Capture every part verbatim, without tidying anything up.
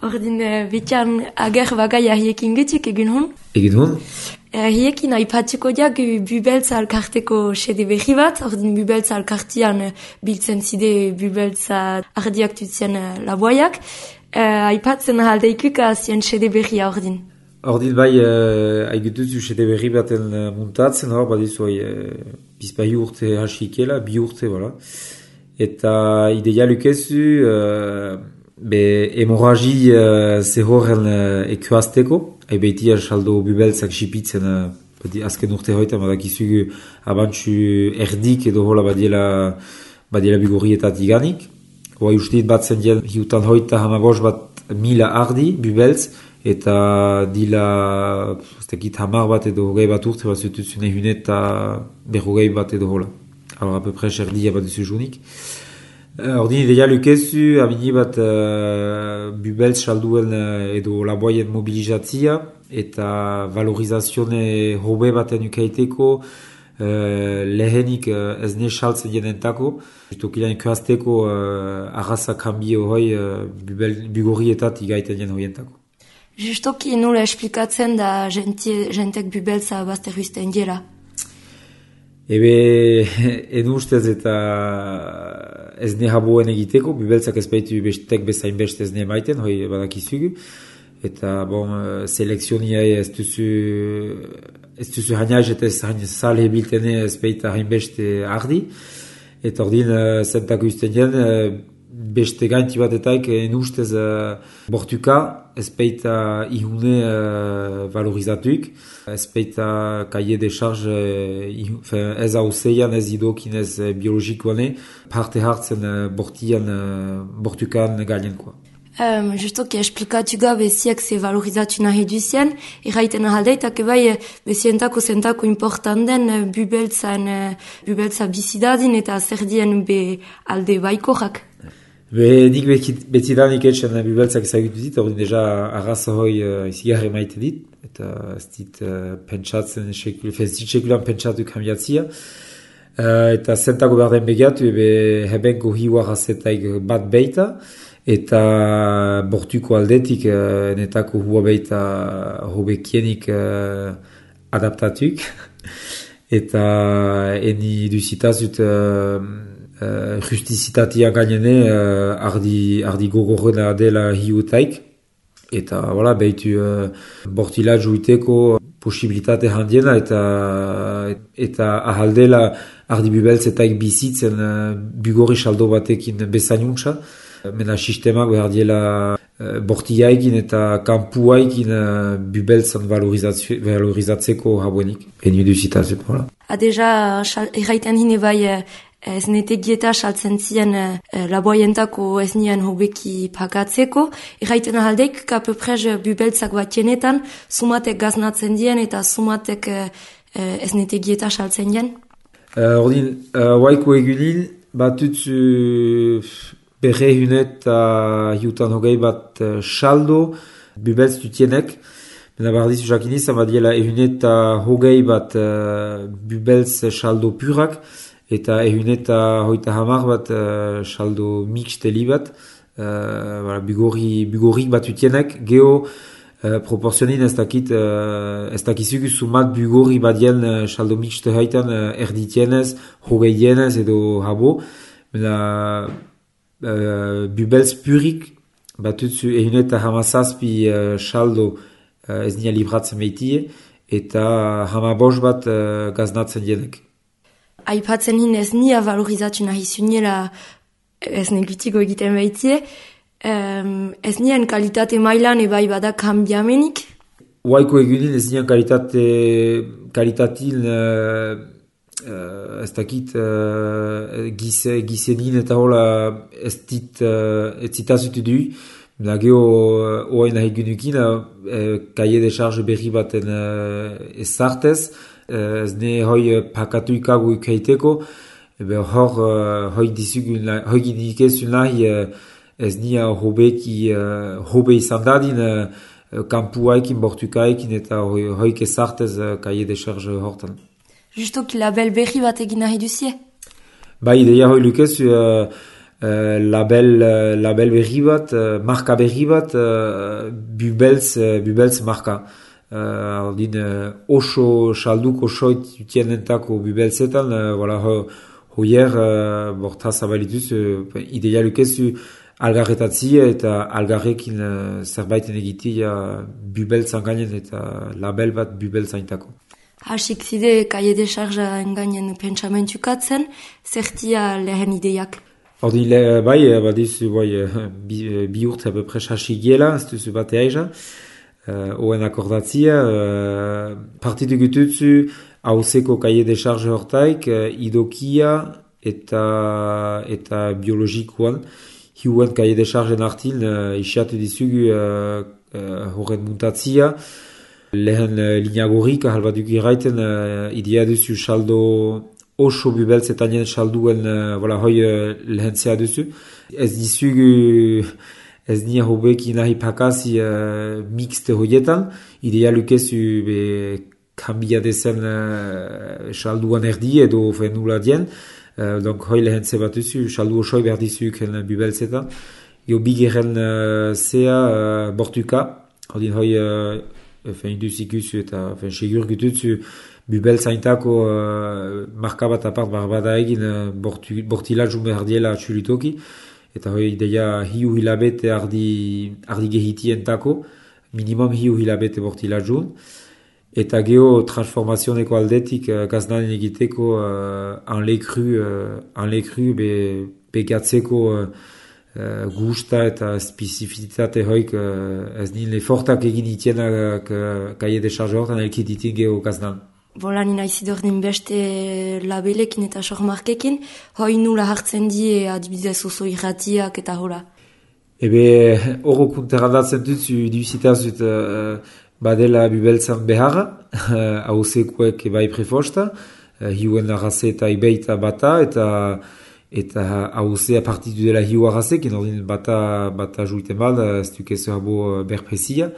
Ordin, betian ager bagaia hiekin getik egin hon? Egin hon? Hiekin aipatzeko jak Bubeltza alkarteko sede berri bat, ordin Bubeltza alkartian biltzen zide Bubeltza ardiak tutzien laboiak. Aipatzen ahaldeikuka zien sede berria ordin. Ordin bai, haigutuzu sede berri baten muntatzen, hor badizu bizpai urte hasikela, bi urte, voilà. Eta ideia lukezu, be hemorragi uh, zehorren uh, ekuazteko, haibeitia saldo Bubeltzak sipitzen uh, azken urte hoita, badakizugu abantzu erdik edo hola badiela, badiela bigorrietat iganik. Hoa ustit bat zen dien hiutan hoita hamabos bat mila ardi Bubeltz, eta dila zekit hamar bat edo hogei bat urte bat zutuzune hunet eta berrogei bat edo hola. Alors à peu près erdia bat duzu junik. Ordin ideia lukezu, abini bat uh, Bubeltz salduen uh, edo laboien mobilizatzia eta valorizazione hobe baten ukaiteko uh, lehenik uh, ez ne saltzen jenentako. Justokilean ikuazteko uh, arraza kambio hoi uh, bugorrietat igaiten jen hoientako. Justoki nola esplikatzen da jentek Bubeltza bazterruizten dira? Ebe, en ustez eta ez ne haboen egiteko, Bubeltzak ez baitu bestek bezain beste ez ne maiten, hoi badakizugu. Eta, bon, selekzionia ez duzu, ez duzu hainaz eta ez sal hebiltene ez baita hain beste ardi. Eta ordin, zentako usten jen, beste gainti batetaik en ustez bortuka, ez baita ihune uh, valorizatuik, ez baita kaie de charge uh, ez hauseian, ez idokin, ez uh, biologikoane, parte hartzen uh, bortian, uh, bortukan gainenkoa. Um, justoki esplikatu gabe ziak ze valorizatu nahi duzien, erraiten ahaldeitak ebai bezientako zentako important den Bubeltzan, Bubeltza bizidadin eta zer dien be alde baikorak. Be, nik betzidanik etxen Bubeltzak ezagutu dit, ordin deja arraza hoi uh, izigarre maite dit, eta ez dit uh, pentsatzen, ez dit sekulan pentsatu kambiatzia. Uh, eta zentako behar den begiatu, ebe hebenko hiu arrazetaik bat beita, eta bortuko aldetik uh, netako hua beita hobekienik uh, adaptatuk. Eta eni duzitazut uh, Uh, justizitatia gainene uh, ardi, ardi gogorrena dela hiutaik. Eta, voilà, behitu uh, bortila juiteko posibilitate handiena eta eta ahaldela ardi Bubeltzetaik bizitzen uh, bugorri saldo batekin bezanuntza. Mena sistemak behar diela uh, bortiaikin eta kampuaikin uh, Bubeltzan valorizatzeko habuenik. Eni duzitazut, voilà. Ha, deja, erraiten hine bai... Ez netegieta saltzen ziren uh, laboientako ez nien hobeki pagatzeko. Erraiten ahaldeik, kapeprez Bubeltzak batienetan, sumatek gaznatzen dien eta sumatek uh, ez netegieta saltzen dien? Uh, ordin, uh, waiko egunin, batutzu berre hunet eta hiutan hogei bat uh, saldo Bubeltz dutienek. Mena bardizu jakiniz, amadiela ehunet eta hogei bat uh, Bubeltz saldo purak, eta ehuneta hoita hamar bat uh, saldo mixteli bat, uh, voilà, bugorri, bugorrik bat utienek, geho uh, proporzionin ez dakit, uh, ez dakizugu sumat bugorri bat dien uh, saldo mixte haitan uh, erditienez, hogei dienez edo habo, mena uh, Bubeltz purik bat utzu ehuneta hamazazpi uh, saldo uh, ez nia libratzen behitie, eta hamabos bat uh, gaznatzen dienek. Aipatzen hin ez nia valorizatu nahi zuniela ez negutiko egiten behitie, um, ez nien kalitate mailan ebai bada kambiamenik? Waiko egunin ez nien kalitate, kalitatil uh, uh, ez dakit uh, gise, gisenin eta hola ez dit uh, ez zitazutu du. Da geho oain nahi gunukin, uh, kaie de charge berri baten uh, ez zartez, ez ne hoi pakatu ikagu ikaiteko, ebe hor hoi dizugun, hoi gidikezun nahi ez nia hobeki, hobe izan dadin kampuaikin, bortukaikin eta hoi kezartez kaie de charge hortan. Justo ki label berri bat egin nahi duzie? Ba, ideia hoi lukezu uh, label, uh, label berri bat, uh, marka berri bat, uh, Bubeltz, uh, Bubeltz marka. Uh, ordin, uh, oso salduko soit utienentako Bubeltzetan, uh, voilà, ho, hoier, uh, borta zabalituz, uh, ideia lukezu algarretatzi eta algarrekin uh, zerbaiten egitea Bubeltzan gainen eta label bat Bubeltzaintako. Hasik zide kaie de charja engainen pentsamentukatzen, zertia lehen ideiak? Ordin, le, bai, badizu, bai, bi, bi urte apepres hasik giela, ez duzu batea eza, uh, oen akordatzia, uh, partitu gututzu, hauzeko kaie de charge hortaik, uh, idokia eta, eta biologikoan, hiuen kaie de chargen artin, uh, isiatu dizugu uh, uh, horren muntatzia, lehen uh, lineagorik, ahalbatuk irraiten, uh, idea duzu saldo oso Bubeltzetanien salduen, uh, voilà, hoi uh, lehen zea duzu. Ez dizugu, ez nia hobeki nahi pakazi uh, mixte hoietan, idea lukezu be kambia dezen uh, salduan erdi edo fenula dien, uh, donc hoi lehen ze bat duzu, saldu osoi behar dizuk Bubeltzetan. Jo bigeren uh, zea uh, bortuka, hodin hoi uh, Enfin, induzikuzu eta enfin, segur gututzu Bubeltzaintako uh, marka bat apart barbada egin uh, bortu, bortilatzu behar diela txulitoki. Eta hoi ideia hiu hilabete ardi, ardi gehitientako, minimum hiu hilabete bortilatzun. Eta geho transformazioneko aldetik uh, gaznanen egiteko uh, anlekru, uh, anlekru be pegatzeko uh, Uh, gusta eta spesifizitate hoik uh, ez nien lefortak egin itienak uh, kaie de charge hortan elkit itin geho gaznan. Bola nina izidor den beste labelekin eta sormarkekin, hoi nula hartzen die adibidez oso irratiak eta hola. Ebe horro kunteradatzen dutzu duzitazut uh, badela Bubeltzan beharra, hauzekuek uh, bai prefosta, uh, hiuen arraze eta ibeita bata eta eta hauzea partitu dela hiu arrazek, ordin bata, bata juiten bad, ez dukezu habo berprezia,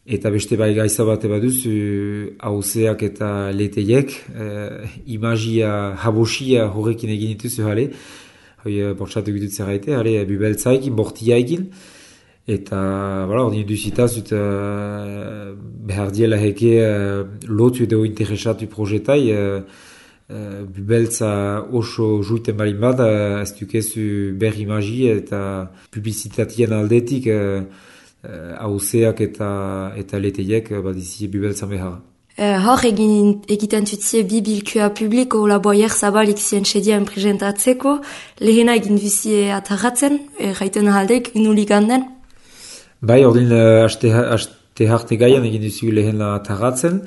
eta beste bai gaiza bate baduz, hauzeak eta leteiek, eh, imagia, habosia horrekin egin dituzu jale, hoi bortxatu gitut zerraite, jale Bubeltzaikin, bortia egin, eta voilà, ordin duzitazut uh, behar diela heke uh, lotu edo interesatu projetai, uh, Uh, Bubeltza oso juiten balin bat, uh, ez dukezu berri magi eta publizitatien aldetik hauzeak uh, uh, eta, eta leteiek uh, badizi Bubeltzan behar. Uh, hor egin, egiten tutzie bi bilkua publiko laboier zabalik zien sedien presentatzeko, lehena egin duzie atarratzen, erraiten ahaldek, nulik handen? Bai, ordin uh, aste, aste harte gaian egin duzu lehena atarratzen,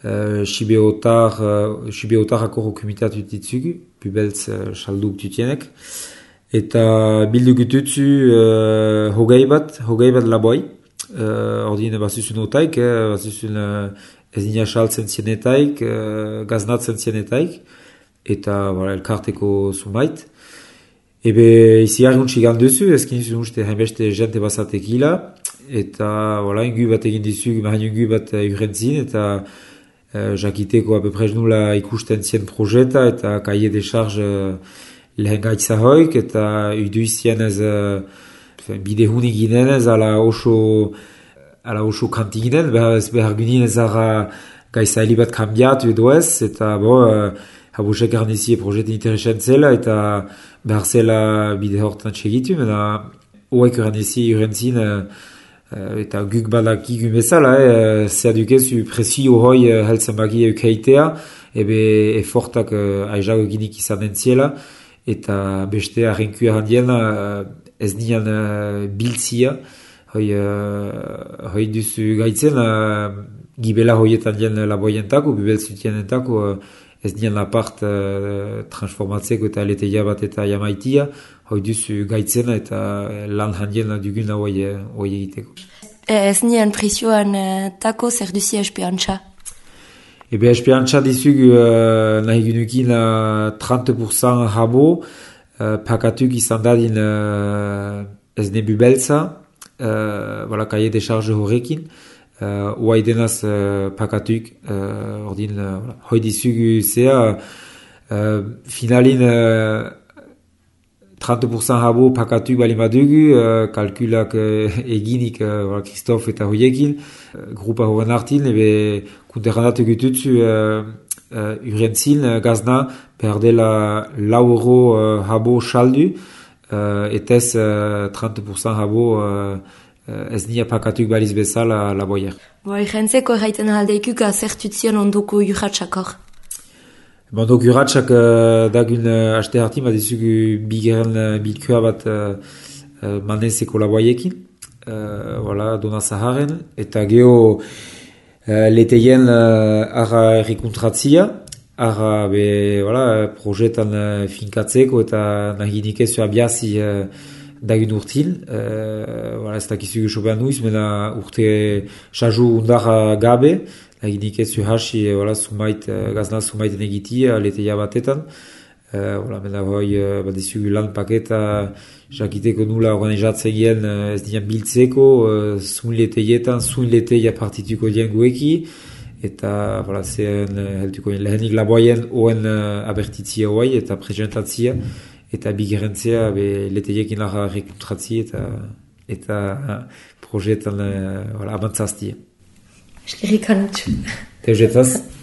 Uh, Sibeotar, uh, Sibeotarako rokumitatu ditzugu, Bubeltz uh, salduk tutienek. Eta bildu gututzu uh, hogei bat, hogei bat laboi. Uh, ordine bazuzun otaik, eh, bazuzun uh, ez nina saltzen zienetaik, uh, gaznatzen zienetaik. Eta voilà, elkarteko sumait. Ebe izi arguntsi ganduzu, ezkin zuen uste hainbeste jente bazatekila. Eta voilà, ingu bat egin dizugu, mahain ingu bat uh, urentzin, eta Uh, jakiteko apeprez nula ikusten zien projeta eta kaie de charge uh, lehen gaitza hoik eta uduizien ez uh, bidehuni ginen ez ala oso ala oso kanti ginen, behar, behar ginen ez ara gaitza helibat kambiatu edo ez eta bo, uh, habosek garnizie projeta interesan zela eta behar zela bide hortan txegitu, mena hoek garnizie urentzin uh, Uh, eta guk badaki gumezala, eh, zer dukezu presio hoi uh, heltzen bagi eukeitea, ebe efortak uh, aizago eginik izan entziela, eta beste arrenkua handien uh, ez nian uh, biltzia, hoi, uh, hoi duzu gaitzen, uh, gibela hoietan dien laboientako, Bubeltzutienentako, uh, ez nian apart uh, transformatzeko eta leteia bat eta jamaitia, hoi duzu gaitzena eta lan handien dugun hoi egiteko. Ez nien presioan tako zer duzi espeantza? Ebe espeantza dizugu uh, nahi gunukin uh, trente pourcent habo, uh, pakatuk izan dadin uh, ez ne Bubeltza, uh, voilà, kaie de charge horrekin, uh, oai denaz uh, pakatuk, uh, ordin, uh, voilà, hoi dizugu zea, uh, finalin uh, trente pourcent habo pakatu bali madugu, uh, kalkulak uh, eginik uh, Christophe eta hoiekin, uh, grupa hoen artin, ebe kunterrandatu gututzu uh, uh, urentzin uh, gazna perdela lau euro uh, habo saldu, uh, etez uh, trente pourcent habo uh, ez nia pakatuk baliz bezala la boyer. Bo, irentzeko erraiten aldeikuk azertutzion ondoko urratxakor. Ondoko urratxak uh, dagun uh, aste hartin, bat izugu bigeren uh, bilkua bat uh, uh, manezeko la boyekin, uh, voilà, dona zaharen, eta geho uh, leteien uh, ara errikontratzia, ara be, voilà, projetan uh, finkatzeko eta nahinik ez abiazi uh, dagun urtin, uh, voilà, ez dakizugu sobean nuiz, mena urte saju undara gabe, nahinik ez hasi, voilà, sumait, uh, gazna sumaiten egitia, leteia batetan, uh, voilà, mena hoi, uh, bat izugu lan paketa, jakiteko nula organizatzen gien, uh, ez dian biltzeko, uh, zun leteietan, zun leteia partituko dien gueki, eta, voilà, zehen, uh, heltuko lehenik laboien oen uh, abertitzia hoi, eta presentatzia, eta bigerentzea be leteiekin lara rekontratzi eta eta uh, projetan uh, voilà, avantzaztia. Eskerrik anutxu. Teuzetaz.